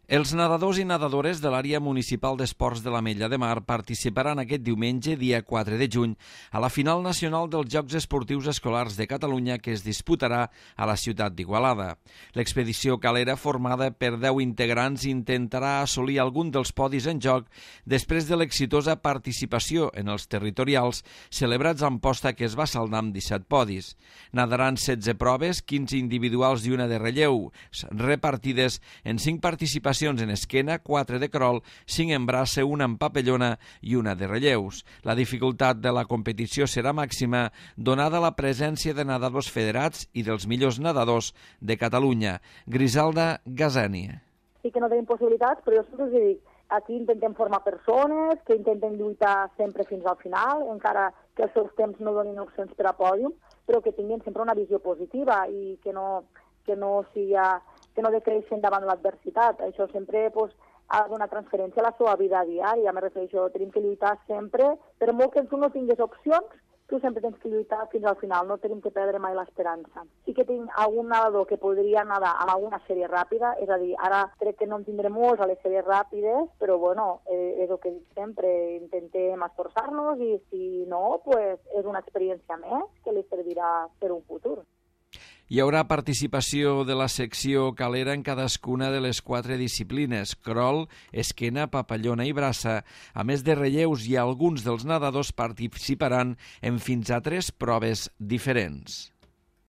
Els nedadors i nedadores de l'àrea municipal d'esports de l'Ametlla de Mar participaran aquest diumenge, dia 4 de juny, a la final nacional dels Jocs Esportius Escolars de Catalunya que es disputarà a la ciutat d'Igualada. L'expedició calera, formada per 10 integrants, intentarà assolir algun dels podis en joc després de l'exitosa participació en els territorials celebrats a Amposta, que es va saldar amb 17 podis. Nadaran 16 proves, 15 individuals i una de relleu, repartides en 5 participacions en esquena, 4 de crawl, 5 en braça, una en papellona i una de relleus. La dificultat de la competició serà màxima, donada la presència de nedadors federats i dels millors nedadors de Catalunya. Griselda Gazani. Sí que no tenim possibilitats, però jo sempre us dic, aquí intentem formar persones que intenten lluitar sempre fins al final, encara que els seus temps no donin opcions per a pòdium, però que tinguin sempre una visió positiva i que no decreixen davant l'adversitat. Això sempre ha de donar transferència a la seva vida diària. Me refereixo, tenim que lluitar sempre. Per molt que tu no tinguis opcions, tu sempre tens que lluitar fins al final. No tenim que perdre mai l'esperança. Sí que tinc algun nedador que podria nedar amb alguna sèrie ràpida, és a dir, ara crec que no en tindré molts a les sèries ràpides, però bueno, és el que dic sempre, intentem esforçar-nos i si no, pues, és una experiència més que li servirà per un futur. Hi haurà participació de la secció calera en cadascuna de les 4 disciplines: crawl, esquena, papallona i braça. A més de relleus, i alguns dels nedadors participaran en fins a 3 proves diferents.